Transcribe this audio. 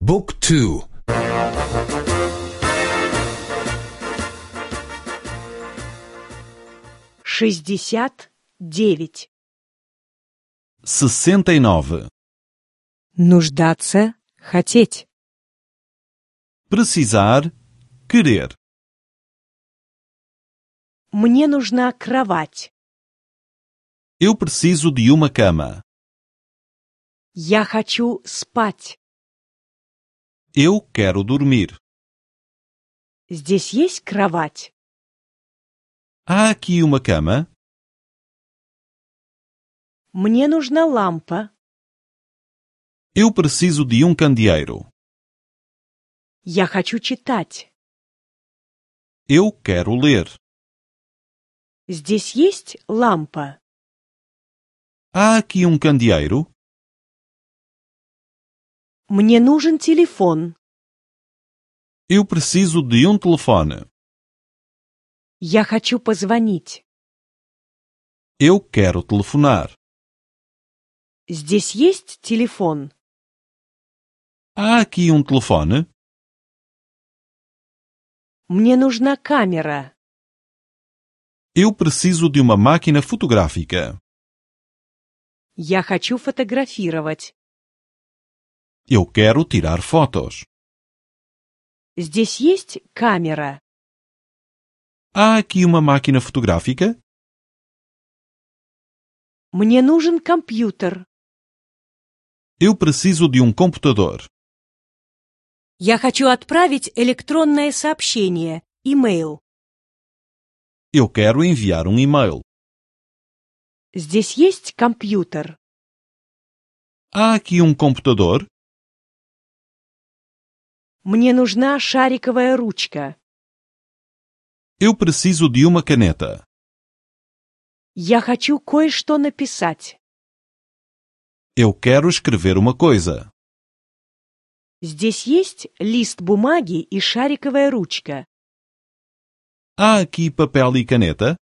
Book 2. 69. 69. Нуждаться, хотеть. Precisar, querer. Мне нужна кровать. Eu preciso de uma cama. Я хочу спать. Eu quero dormir. Здесь есть кровать? Há aqui uma cama? Мне нужна лампа. Eu preciso de um candeeiro. Я хочу читать. Eu quero ler. Здесь есть лампа? Há aqui um candeeiro? Мне нужен телефон. Eu preciso de um telefone. Я хочу позвонить. Eu quero telefonar. Здесь есть телефон? Há aqui um telefone? Мне нужна камера. Eu preciso de uma máquina fotográfica. Я хочу фотографировать. Eu quero tirar fotos. Здесь есть камера? Há aqui uma máquina fotográfica? Мне нужен компьютер. Eu preciso de um computador. Я хочу отправить электронное сообщение, имейл. Eu quero enviar um e-mail. Здесь есть компьютер? Há aqui um computador? Мне нужна шариковая ручка. Eu preciso de uma caneta. Я хочу кое-что написать. Eu quero escrever uma coisa. Здесь есть лист бумаги и шариковая ручка. Há aqui papel e caneta?